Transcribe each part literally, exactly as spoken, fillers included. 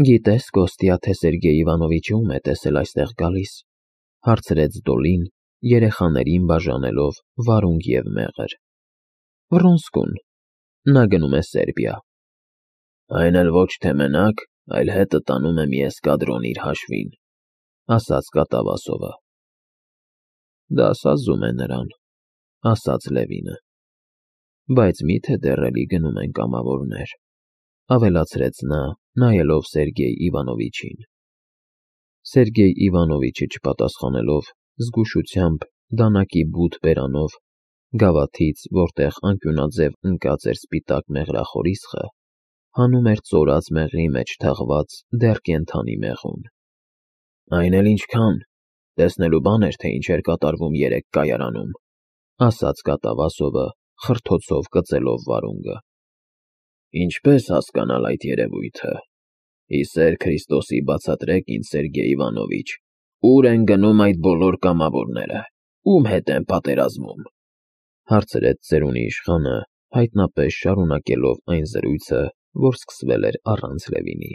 Գիտես, Կոստյա, թե Սերգեյ Իվանովիչը ում է տեսել այստեղ գալիս, հարցրեց Դոլին, երեխաներին բաժանելով վարունգ և մեղր։ Վռոնսկուն, նա գնում է Սերբիա։ Այն էլ ոչ թե մենակ, այլ հետը տանում է մի էսկադրոն իր հաշվին, ասաց Կատավասովը։ Դա սազում է նրան, ասաց Լևինը։ Բայց մի՞թե դեռ էլի գնում են կամավորներ, ավելացրեց նա, նայելով Սերգեյ Իվանովիչին։ Սերգեյ Իվանովիչը չպատասխանելով, զգուշությամբ, դանակի բութ բերանով, գավաթից, որտեղ անկյունաձև ընկած էր սպիտակ մեղրախորիսխը, հանում էր ծորած մեղրի մեջ թաղված դեռ կենդանի մեղուն։ Այն էլ ինչքան, տեսնելու բան էր, թե ինչ էր կատարվում երեկ կայարանում, ասաց Կատավասովը, խրթոցով կծելով վարունգը։ Ինչպե՞ս հասկանալ այդ երևույթը։ Ի սեր Քրիստոսի բացատրեք ինձ, Սերգեյ Իվանովիչ, ուր են գնում այդ բոլոր կամավորները, ում հետ են պատերազմում, հարցրեց ծերունի իշխանը, հայտնապես շարունակելով այն զրույցը, որ սկսվել էր առանց Լևինի։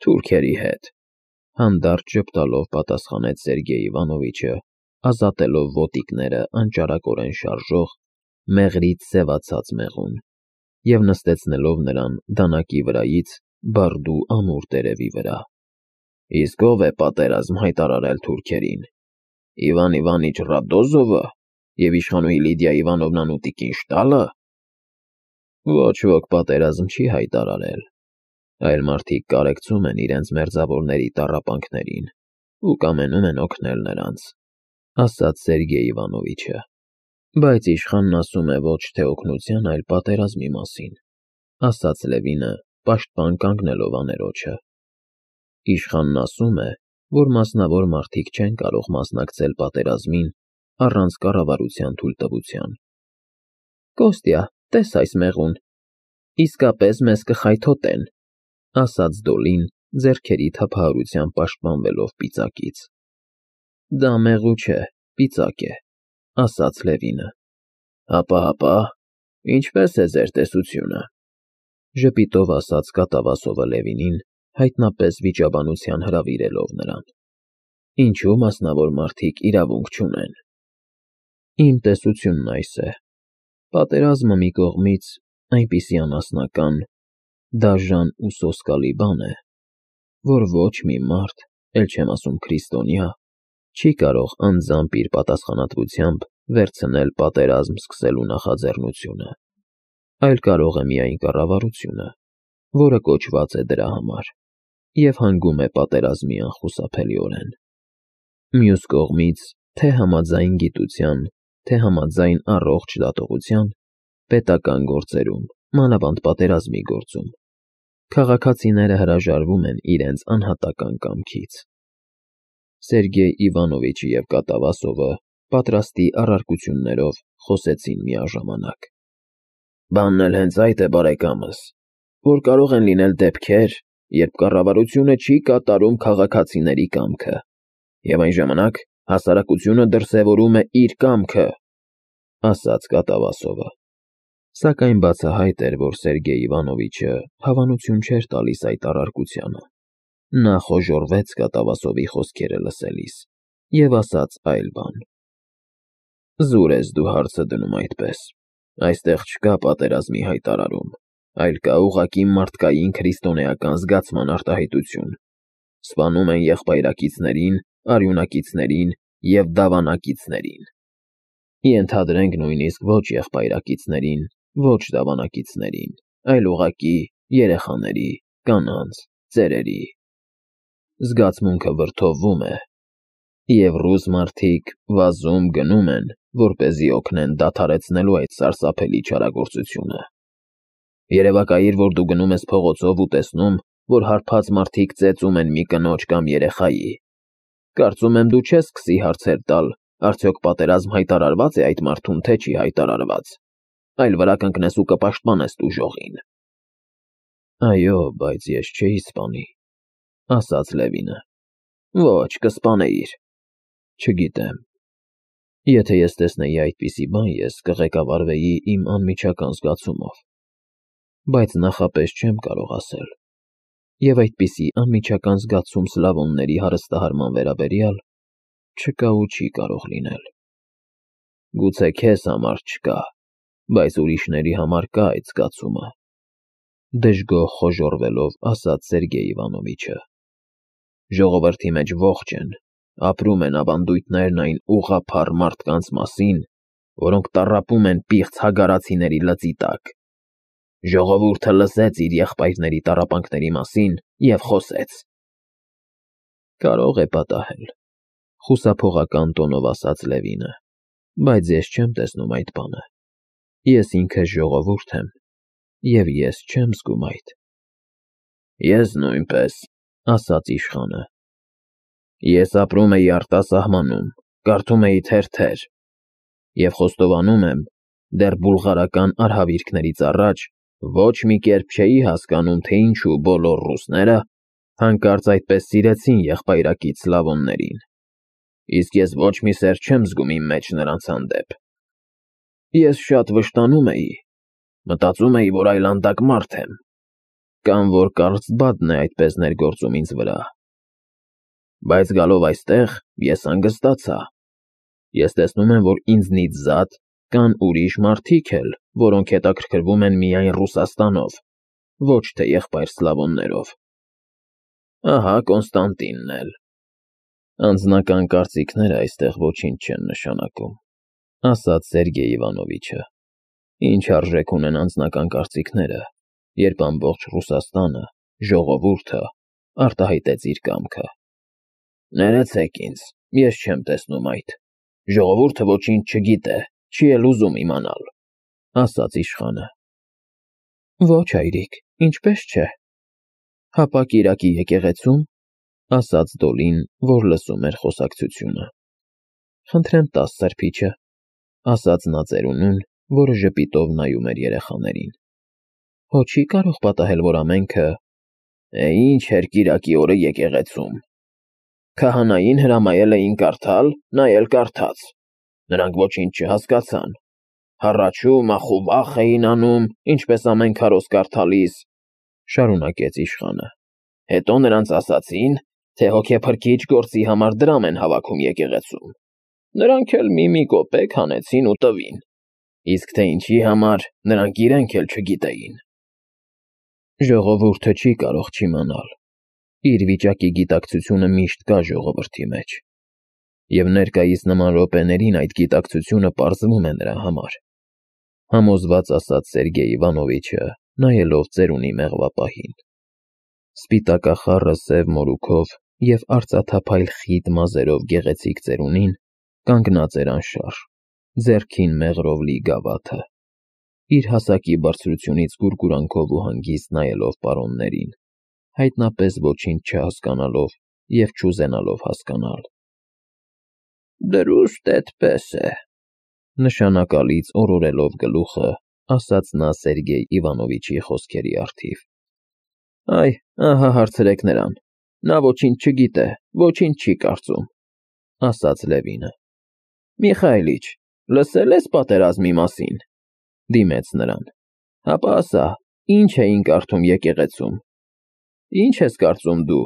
Թուրքերի հետ, հանդարտ ժպտալով պատասխանեց Սերգեյ Իվանովիչը, ազատելով ոտիկները անճարակորեն շարժող, մեղրից սևացած մեղուն և նստեցնելով նրան դանակի վրայից բարդու ամուր տերևի վրա։ Իսկ ով է պատերազմ հայտարարել թուրքերին։ Իվան Իվանիչ Ռադոզովը և իշխանուհի Լիդիա Իվանովնան ու տիկին Շտալը։ Ոչ ոք պատերազմ չի հայտարարել, այլ մարդիկ կարեկցում են իրենց մերձավորների տառապանքներին ու կամենում են օգնել նրանց, ասաց Սերգեյ Իվանովիչը։ Բայց իշխանն ասում է ոչ թե օգնության, այլ պատերազմի մասին, ասաց Լևինը, պաշտպան կանգնելով աներոջը։ Իշխանն ասում է, որ մասնավոր մարդիկ չեն կարող մասնակցել պատերազմին առանց կառավարության թույլտվության։ Կոստյա, տես այս մեղուն, իսկապես մեզ կխայթոտեն, ասաց Դոլին, ձեռքերի թափահարությամբ պաշտպանվելով պիծակից։ Դա մեղու չէ, պիծակ է, ասաց Լևինը։ Հապա, հապա, ինչպե՞ս է ձեր տեսությունը, ժպիտով ասաց Կատավասովը Լևինին, հայտնապես վիճաբանության հրավիրելով նրան։ Ինչու մասնավոր մարդիկ իրավունք չունեն։ Իմ տեսությունն այս է. պատերազմը մի կողմից այնպիսի անասնական, դաժան ու սոսկալի բան է, որ ոչ մի մարդ, էլ չեմ ասում քրիստոնյա, չի կարող անձամբ իր պատասխանատվությամբ վերցնել պատերազմ սկսելու նախաձեռնությունը, այլ կարող է միայն կառավարությունը, որը կոչված է դրա համար, և հանգում է պատերազմի անխուսափելիորեն։ Մյուս կողմից, թե համաձայն գիտության, թե համաձայն առողջ դատողության, պետական գործերում, մանավանդ պատերազմի գործում, քաղաքացիները հրաժարվում են իրենց անհատական կամքից։ Սերգեյ Իվանովիչը և Կատավասովը պատրաստի առարկություններով խոսեցին միաժամանակ։ Բանն էլ հենց այդ է, բարեկամս, որ կարող են լինել դեպքեր, երբ կառավարությունը չի կատարում քաղաքացիների կամքը, և այն ժամանակ հասարակությունը դրսևորում է իր կամքը, ասաց Կատավասովը։ Սակայն բացահայտ էր, որ Սերգեյ Իվանովիչը հավանություն չէր տալիս այդ առարկությանը։ Նա խոժոռվեց Կատավասովի խոսքերը լսելիս և ասաց այլ բան։ Զուր ես դու հարցը դնում այդպես։ Այստեղ չկա պատերազմի հայտարարում, այլ կա ուղղակի մարդկային քրիստոնեական զգացման արտահայտություն։ Սպանում են եղբայրակիցներին, արյունակիցներին և դավանակիցներին։ Ենթադրենք նույնիսկ ոչ եղբայրակիցներին, ոչ դավանակիցներին, այլ ուղղակի երեխաների, կանանց, ծերերի։ Զգացմունքը վրդովվում է, և ռուս մարդիկ վազում գնում են, որպեսզի օգնեն դադարեցնելու այդ սարսափելի չարագործությունը։ Երևակայիր, որ դու գնում ես փողոցով ու տեսնում, որ հարբած մարդիկ ծեծում են մի կնոջ կամ երեխայի։ Կարծում եմ, դու չես սկսի հարցեր տալ, արդյոք պատերազմ հայտարարվա՞ծ է այդ մարդուն, թե չի հայտարարված, այլ վրա կընկնես ու կպաշտպանես տուժողին։ Այո, բայց ես չէի սպանի, ասաց Լևինը։ Ոչ, կսպանեիր։ Չգիտեմ։ Եթե ես տեսնեի այդպիսի բան, ես կղեկավարվեի իմ անմիջական զգացումով, բայց նախապես չեմ կարող ասել։ և այդպիսի անմիջական զգացում սլավոնների հարստահարման վերաբերյալ չկա ու չի կարող լինել։ Գուցե քեզ համար չկա, բայց ուրիշների համար կա այդ զգացումը, դժգոհ խոժոռվելով ասաց Սերգեյ Իվանովիչը։ Ժողովրդի մեջ ողջ են, ապրում են ավանդույթներն այն ուղղափառ մարդկանց մասին, որոնք տառապում են պիղծ հագարացիների լծի տակ։ Ժողովուրդը լսեց իր եղբայրների տառապանքների մասին և խոսեց։ Կարող է պատահել, խուսափողական տոնով ասաց Լևինը, բայց ես չեմ տեսնում այդ բանը։ Ես ինքս ժողովուրդ եմ, և ես չեմ զգում այդ։ Ես նույնպես, ասաց իշխանը։ Ես ապրում էի արտասահմանում, կարդում էի թերթեր և խոստովանում եմ, դեռ բուլղարական արհավիրքներից առաջ ոչ մի կերպ չէի հասկանում, թե ինչու բոլոր ռուսները հանկարծ այդպես սիրեցին եղբայրակից սլավոններին, իսկ ես ոչ մի սեր չեմ զգում իմ մեջ նրանց հանդեպ։ Ես շատ վշտանում էի, մտածում էի, որ այլանդակ մարդ եմ, կամ որ Կարլսբադն է այդպես ներգործում ինձ վրա։ Բայց գալով այստեղ, ես հանգստացա։ Ես տեսնում եմ, որ ինձնից զատ կան ուրիշ մարդիկ էլ, որոնք հետաքրքրվում են միայն Ռուսաստանով, ոչ թե եղբայր սլավոններով։ Ահա Կոնստանտինն էլ։ Անձնական կարծիքները այստեղ ոչինչ չեն նշանակում, ասաց Սերգեյ Իվանովիչը։ Ինչ արժեք ունեն անձնական կարծիքները, երբ ամբողջ Ռուսաստանը, ժողովուրդը արտահայտեց իր կամքը։ Ներեցեք ինձ, ես չեմ տեսնում այդ։ Ժողովուրդը ոչինչ չգիտե, չի էլ ուզում իմանալ, ասաց իշխանը։ Ոչ, հայրիկ, ինչպես չէ։ Հապա կիրակի եկեղեցում, ասաց Դոլին, որ լսում էր խոսակցությունը։ Խնդրեմ տաս սրբիչը, ասաց նա ծերունուն, որը ժպիտով նայում էր երեխաներին։ Հո չի կարող պատահել, որ ամենքը… Է, ինչ էր կիրակի օրը եկեղեցում։ Քահանային հրամայել էին կարդալ, նա էլ կարդաց։ Նրանք ոչինչ չհասկացան։ Հառաչու, մախու վախ էին անում, ինչպես ամեն քարոզ կարդալիս, շարունակեց իշխանը։ Հետո նրանց ասացին, թե հոգեփրկիչ գործի համար դրամ են հավաքում եկեղեցում։ Նրանք էլ մի-մի կոպեկ հանեցին ու տվին։ Իսկ թե ինչի համար, նրանք իրենք էլ չգիտեին։ Ժողովուրդը չի կարող չիմանալ։ Իր վիճակի գիտակցությունը միշտ կա ժողովրդի մեջ։ Եվ ներկայիս նման րոպեներին այդ գիտակցությունը պարզվում է նրա համար, համոզված ասաց Սերգեյ Իվանովիչը, նայելով ծերունի մեղվապահին։ Սպիտակախառը սև մորուքով և արծաթափայլ խիտ մազերով գեղեցիկ ծերունին կանգնած էր անշարժ, ձեռքին մեղրով լի գավաթը, իր հասակի բարձրությունից գուրգուրանքով ու հանգիստ նայելով պարոններին, հայտնապես ոչինչ չհասկանալով և չուզենալով հասկանալ։ Դրուստ էդպես է, նշանակալից օրորելով գլուխը, ասաց նա Սերգեյ Իվանովիչի խոսքերի առթիվ։ Այ, ահա հարցրեք նրան, նա ոչինչ չգիտե, ոչինչ չի կարծում, ասաց Լևինը։ Միխայիլիչ, լսել ես պատերազմի մասին, դիմեց նրան։ Հապա ասա, ինչ էին կարդում եկեղեցում։ Ինչ ես կարծում դու,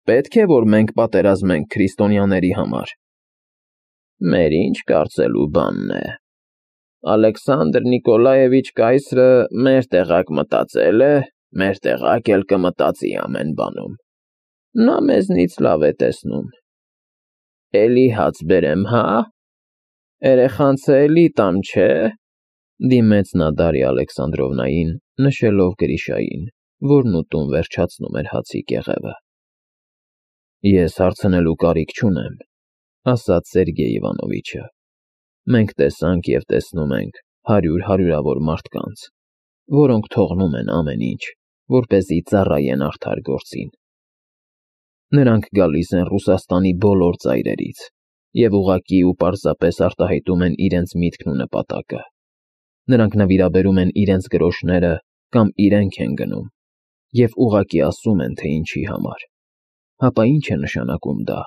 պետք է, որ մենք պատերազմենք քրիստոնյաների համար։ Մեր ինչ կարծելու բանն է։ Ալեքսանդր Նիկոլաևիչ կայսրը մեր տեղակ մտածել է, մեր տեղակ էլ կմտածի ամեն բանում։ Նա մեզնից լավ է տեսնում։ Էլի հաց բերեմ, հա։ Երեխանցը էլի տան չէ, դիմեց նա Դարիա Ալեքսանդրովնային, նշելով Գրիշային, որն ուտում վերջացնում էր հացի կեղևը։ Ես հարցնելու կարիք չունեմ, ասաց Սերգեյ Իվանովիչը։ Մենք տեսանք և տեսնում ենք հարյուր֊հարյուրավոր մարդկանց, որոնք թողնում են ամեն ինչ, որպեսզի ծառայեն արդար գործին։ Նրանք գալիս են Ռուսաստանի բոլոր ծայրերից և ուղղակի ու պարզապես արտահայտում են իրենց միտքն ու նպատակը։ Նրանք նվիրաբերում են իրենց գրոշները կամ իրենք են գնում և ուղղակի ասում են, թե ինչի համար։ Հապա ի՞նչ է նշանակում դա։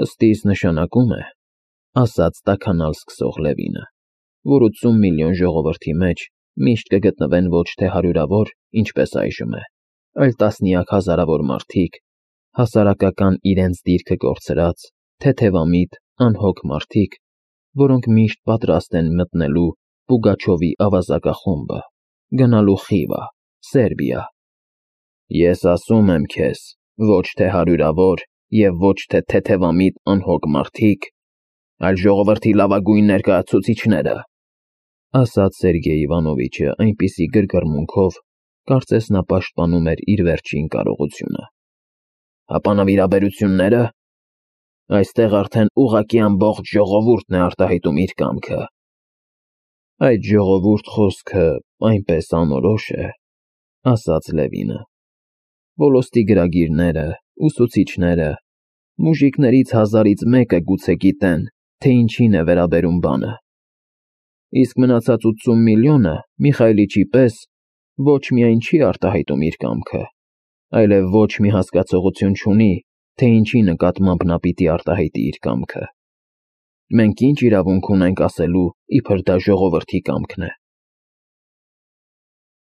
Ըստ իս նշանակում է, ասաց տաքանալ սկսող Լևինը, որ ութսուն միլիոն ժողովրդի մեջ միշտ կգտնվեն ոչ թե հարյուրավոր, ինչպես այժմ է, այլ տասնյակ հազարավոր մարդիկ, հասարակական իրենց դիրքը կորցրած, թեթևամիտ, անհոգ մարդիկ, որոնք միշտ պատրաստ են մտնելու Պուգաչովի ավազակախումբը, գնալու Խիվա, Սերբիա։ Ես ասում եմ քեզ, ոչ թե հարյուրավոր և ոչ թե թեթևամիտ անհոգ մարդիկ, այլ ժողովրդի լավագույն ներկայացուցիչները, ասաց Սերգեյ Իվանովիչը այնպիսի գրգռմունքով, կարծես նա պաշտպանում էր իր վերջին կարողությունը։ Հապա նվիրաբերություննե՞րը։ Այստեղ արդեն ուղղակի ամբողջ ժողովուրդն է արտահայտում իր կամքը։ Այդ ժողովուրդ խոսքը այնպես անորոշ է, ասաց Լևինը։ Ոլոստի գրագիրները, ուսուցիչները, մուժիկներից հազարից մեկը գուցե գիտեն, թե ինչին է վերաբերում բանը։ Իսկ մնացած ութսուն միլիոնը Միխայիլիչի պես ոչ միայն չի արտահայտում իր կամքը, այլև ոչ մի հասկացողություն չունի, թե ինչի նկատմամբ նա պիտի արտահայտի իր կամքը։ Մենք ինչ իրավունք ունենք ասելու, իբր դա ժողովրդի կամքն է։